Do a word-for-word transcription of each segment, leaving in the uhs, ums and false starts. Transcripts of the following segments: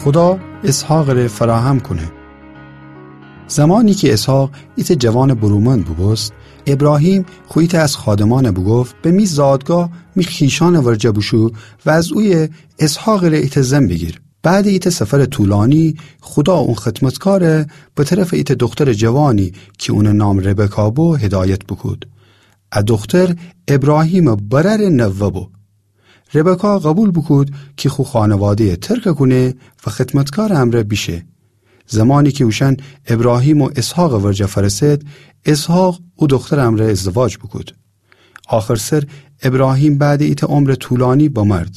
خودا اسحاقٚ ره فراهم کونه. زمانی کی اسحاق ایتأ جوانٚ برومند بوبوست، ابراهیم خو ایتأ از خادمأن بوگفت: به می زادگاه می خویشأنٚ ورجه بوشو و از اویه اسحاقٚ ره ایتأ زن بیگیر. بعدٚ ایتأ سفرٚ طولانی، خودا اون خدمتکار به طرفٚ ایتأ دخترٚ جوانی کی اونٚ نام ربکا بو، هدایت بوکود. ا دختر ابراهیمٚ برأرٚ نوه بو. ربکا قوبیل بوکود کی خو خانواده‌یه ترک کونه و خدمتکارٚ امرأ بیشه. زمانی کی اوشأن ابراهیم و اسحاقٚ ورجه فأرسد، اسحاق او دخترٚ امرأ ازدواج بوکود. آخرسر ابراهیم بعدٚ ایتأ عمرٚ طولانی بمرد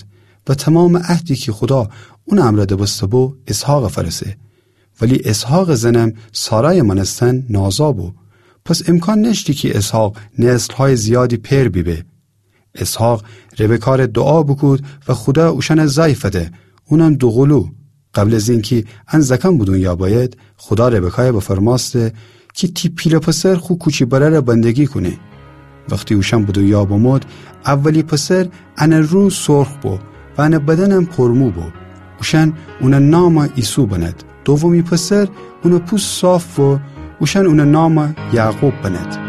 و تومامٚ عهدی کی خودا اونٚ امرأ دبسته بو، اسحاقٚ فأرسه. ولی اسحاقٚ زنم سارایٚ مأنستن نازا بو. پس امکان نأشتی کی اسحاق نسل‌هایٚ زیادی پئر بیبه. اسحاق ربکا ره دوعا بوکود و خودا اوشأن زأی فده، اونم دوقلو. قبل از اینکی ان زأکأن به دونیا بأید، خودا ربکایه بفرمأسته کی تی پیله پسر خو کوچی برأره بندگی کونه. وختی اوشأن به دونیا بمود، اولی پسر انٚ رو سرخ بو و انٚ بدنم پرمو بو. اوشأن اونٚ نام عیسو بند. دومی پسر، اونٚ پوست صاف بو، اوشأن اونٚ نام یعقوب بند.